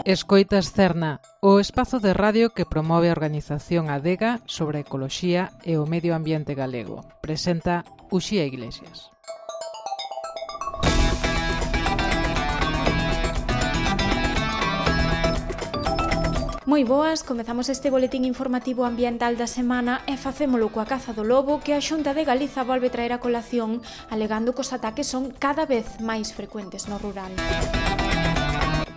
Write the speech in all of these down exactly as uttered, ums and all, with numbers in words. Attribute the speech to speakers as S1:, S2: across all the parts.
S1: Escoitas Cerna, o espazo de radio que promove a organización Adega sobre a ecoloxía e o medio ambiente galego. Presenta Uxía Iglesias.
S2: Moi boas, comezamos este boletín informativo ambiental da semana e facémolo coa caza do lobo que a Xunta de Galiza volve traer a colación alegando que os ataques son cada vez máis frecuentes no rural.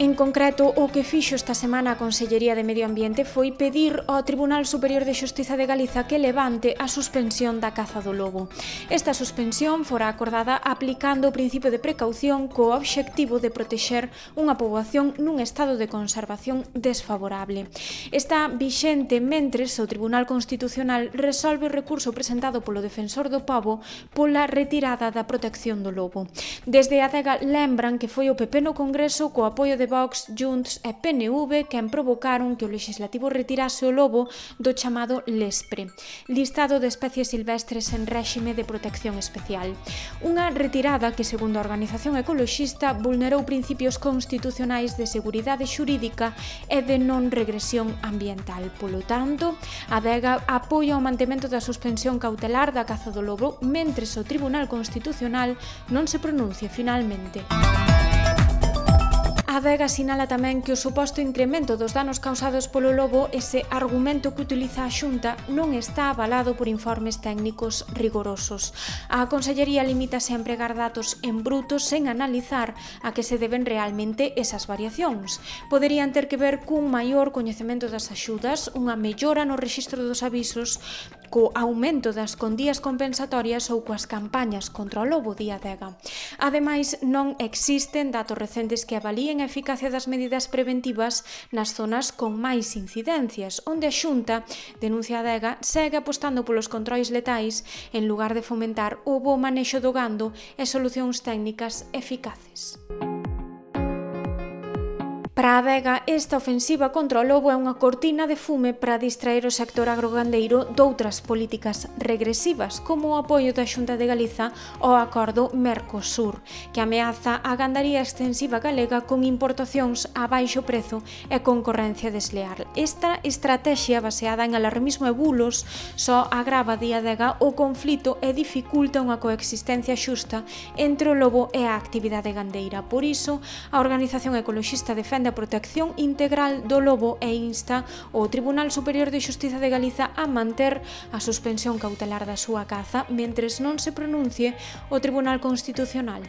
S2: En concreto, o que fixo esta semana a Consellería de Medio Ambiente foi pedir ao Tribunal Superior de Xustiza de Galiza que levante a suspensión da caza do lobo. Esta suspensión fora acordada aplicando o principio de precaución co obxectivo de protexer unha poboación nun estado de conservación desfavorable. Está vixente mentres o Tribunal Constitucional resolve o recurso presentado polo Defensor do Pobo pola retirada da protección do lobo. Desde a Adega lembran que foi o P P no Congreso co apoio de de Vox, Junts e P N V quen provocaron que o legislativo retirase o lobo do chamado LESPRE, listado de especies silvestres en réxime de protección especial. Unha retirada que, segundo a organización ecoloxista, vulnerou principios constitucionais de seguridade xurídica e de non regresión ambiental. Polo tanto, a Adega apoia o mantemento da suspensión cautelar da caza do lobo mentres o Tribunal Constitucional non se pronuncie finalmente. A Adega sinala tamén que o suposto incremento dos danos causados polo lobo, ese argumento que utiliza a Xunta, non está avalado por informes técnicos rigorosos. A Consellería limítase a empregar datos en bruto sen analizar a que se deben realmente esas variacións. Poderían ter que ver cun maior coñecemento das axudas, unha mellora no rexistro dos avisos, co aumento das condías compensatorias ou coas campañas contra o lobo, di a Adega. Ademais, non existen datos recentes que avalíen a eficacia das medidas preventivas nas zonas con máis incidencias, onde a Xunta, denuncia a Adega, segue apostando polos controis letais en lugar de fomentar o bo manexo do gando e solucións técnicas eficaces. Para a Adega, esta ofensiva contra o lobo é unha cortina de fume para distraer o sector agrogandeiro doutras políticas regresivas, como o apoio da Xunta de Galiza ao acordo Mercosur, que ameaza a gandaría extensiva galega con importacións a baixo prezo e concorrencia desleal. Esta estrategia, baseada en alarmismo e bulos, só agrava, di a Adega, o conflito e dificulta unha coexistencia xusta entre o lobo e a actividade gandeira. Por iso, a organización ecoloxista defende a protección integral do lobo e insta o Tribunal Superior de Xustiza de Galiza a manter a suspensión cautelar da súa caza mentres non se pronuncie o Tribunal Constitucional.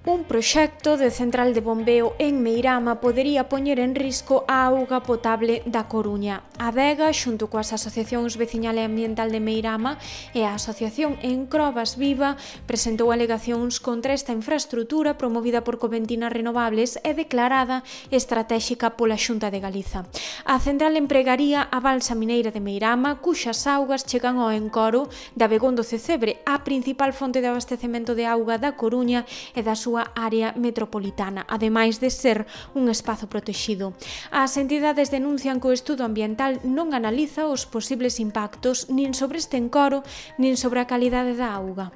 S2: Un proxecto de central de bombeo en Meirama podería poñer en risco a auga potable da Coruña. A Adega, xunto coas asociacións veciñal e ambiental de Meirama e a Asociación Encrobas Viva, presentou alegacións contra esta infraestrutura promovida por Coventinas Renovables e declarada estratéxica pola Xunta de Galiza. A central empregaría a balsa mineira de Meirama, cuxas augas chegan ao encoro de Abegondo Cecebre, a principal fonte de abastecemento de auga da Coruña e da súa área metropolitana, ademais de ser un espazo protexido. As entidades denuncian que o estudo ambiental non analiza os posibles impactos nin sobre este encoro, nin sobre a calidade da auga.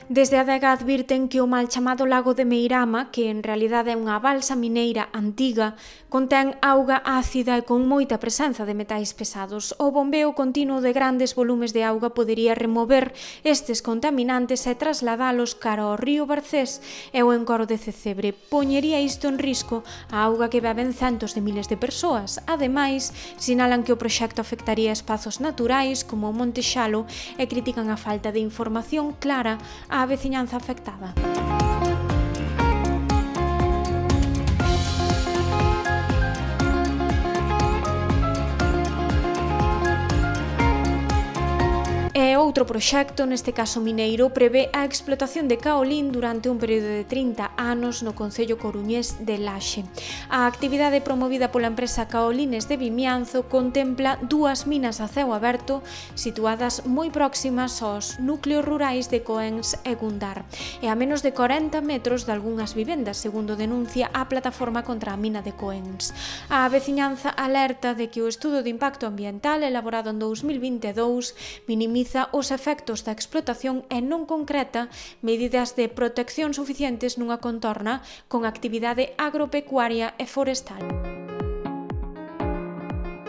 S2: Desde a Adega advirten que o mal chamado Lago de Meirama, que en realidade é unha balsa mineira antiga, contén auga ácida e con moita presenza de metais pesados. O bombeo continuo de grandes volumes de auga podería remover estes contaminantes e trasladalos cara ao río Barcés e o encoro de Cecebre. Poñería isto en risco a auga que beben centos de miles de persoas. Ademais, sinalan que o proxecto afectaría espazos naturais como o Monte Xalo e critican a falta de información clara á veciñanza afectada. E outro proxecto, neste caso mineiro, prevé a explotación de caolín durante un período de trinta anos no concello coruñés de Laxe. A actividade promovida pola empresa Caolines de Vimianzo contempla dúas minas a ceo aberto situadas moi próximas aos núcleos rurais de Coens e Gundar e a menos de corenta metros de algunhas vivendas, segundo denuncia a plataforma contra a mina de Coens. A veciñanza alerta de que o estudo de impacto ambiental elaborado en dous mil vinte e dous minimiza os efectos da explotación e non concreta medidas de protección suficientes nunha contorna con actividade agropecuaria e forestal.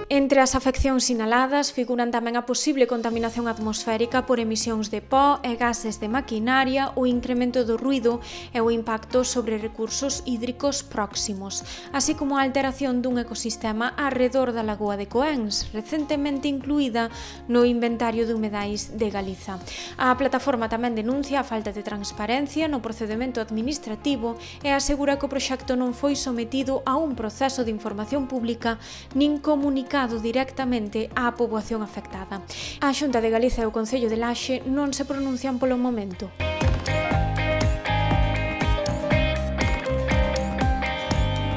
S2: Entre as afeccións sinaladas figuran tamén a posible contaminación atmosférica por emisións de pó e gases de maquinaria, o incremento do ruído e o impacto sobre recursos hídricos próximos, así como a alteración dun ecosistema arredor da lagoa de Coens, recentemente incluída no inventario de humedais de Galiza. A plataforma tamén denuncia a falta de transparencia no procedemento administrativo e asegura que o proxecto non foi sometido a un proceso de información pública nin comunicado directamente á poboación afectada. A Xunta de Galiza e o Concello de Laxe non se pronuncian polo momento.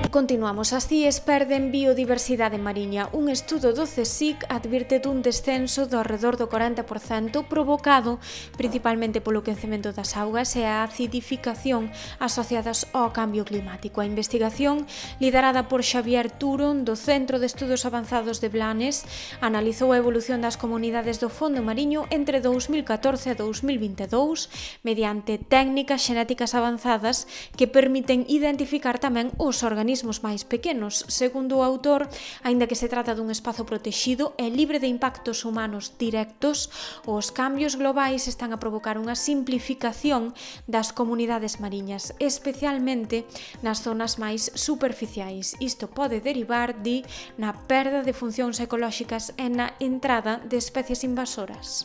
S2: Continuamos. As cíes perden biodiversidade mariña. Un estudo do CSIC advirte dun descenso do arredor do corenta por cento provocado principalmente polo quencemento das augas e a acidificación asociadas ao cambio climático. A investigación, liderada por Xavier Turon, do Centro de Estudos Avanzados de Blanes, analizou a evolución das comunidades do fondo mariño entre dous mil catorce e dous mil vinte e dous mediante técnicas xenéticas avanzadas que permiten identificar tamén os organismos máis pequenos. Segundo o autor, aínda que se trata dun espazo protexido e libre de impactos humanos directos, os cambios globais están a provocar unha simplificación das comunidades mariñas, especialmente nas zonas máis superficiais. Isto pode derivar, di, na perda de funcións ecolóxicas e na entrada de especies invasoras.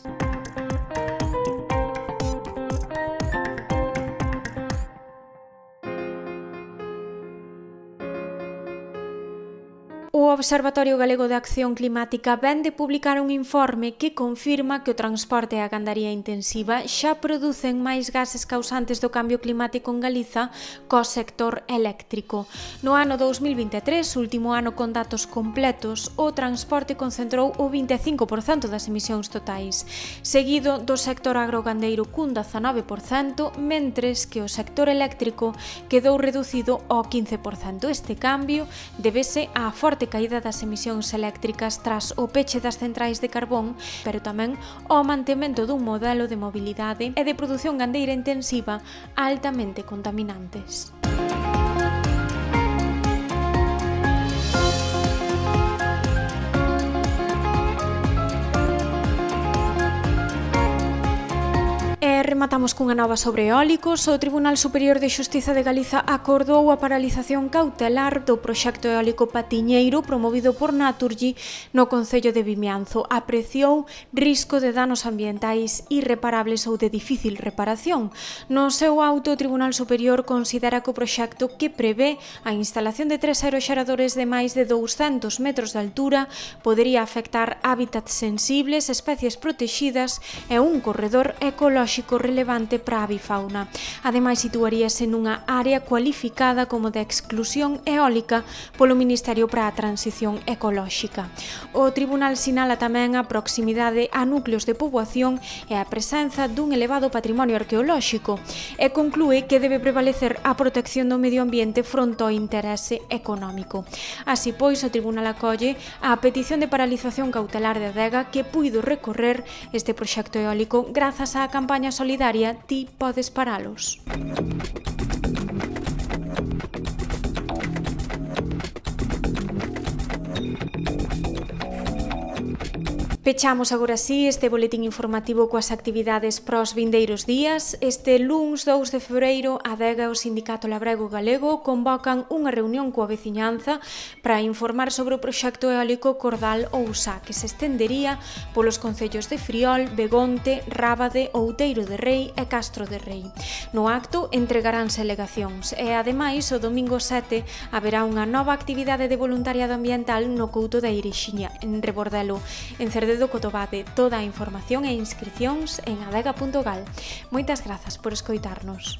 S2: O Observatorio Galego de Acción Climática vén de publicar un informe que confirma que o transporte e a gandaría intensiva xa producen máis gases causantes do cambio climático en Galiza co sector eléctrico. No ano dous mil vinte e tres, último ano con datos completos, o transporte concentrou o vinte e cinco por cento das emisións totais, seguido do sector agrogandeiro cun dezanove por cento, mentres que o sector eléctrico quedou reducido ao quince por cento. Este cambio débese á forte caída das emisións eléctricas tras o peche das centrais de carbón, pero tamén ao mantemento dun modelo de mobilidade e de produción gandeira intensiva altamente contaminantes. Rematamos cunha nova sobre eólicos. O Tribunal Superior de Xustiza de Galiza acordou a paralización cautelar do proxecto eólico Patiñeiro promovido por Naturgy no concello de Vimianzo. Apreciou risco de danos ambientais irreparables ou de difícil reparación. No seu auto, o Tribunal Superior considera que o proxecto, que prevé a instalación de tres aeroxeradores de máis de douscentos metros de altura, podería afectar hábitats sensibles, especies protexidas e un corredor ecolóxico relevante para a avifauna. Ademais, situaríase nunha área cualificada como de exclusión eólica polo Ministerio para a Transición Ecolóxica. O Tribunal sinala tamén a proximidade a núcleos de poboación e a presenza dun elevado patrimonio arqueolóxico e conclúe que debe prevalecer a protección do medio ambiente fronte ao interese económico. Así pois, o Tribunal acolle a petición de paralización cautelar de Adega que puido recorrer este proxecto eólico grazas á campaña solidaria Ti podes paralos. Pechamos agora sí este boletín informativo coas actividades pros vindeiros días. Este luns dous de febreiro, a Adega e o Sindicato Labrego Galego convocan unha reunión coa veciñanza para informar sobre o proxecto eólico Cordal Ousá, que se estendería polos concellos de Friol, Begonte, Rábade, Outeiro de Rei e Castro de Rei. No acto entregaránse alegacións e, ademais, o domingo sete haberá unha nova actividade de voluntariado ambiental no Couto da Irixiña, en Rebordelo. En Cerdedo cidade do Cotobade. Toda a información e inscricións en adega punto gal. Moitas grazas por escoitarnos.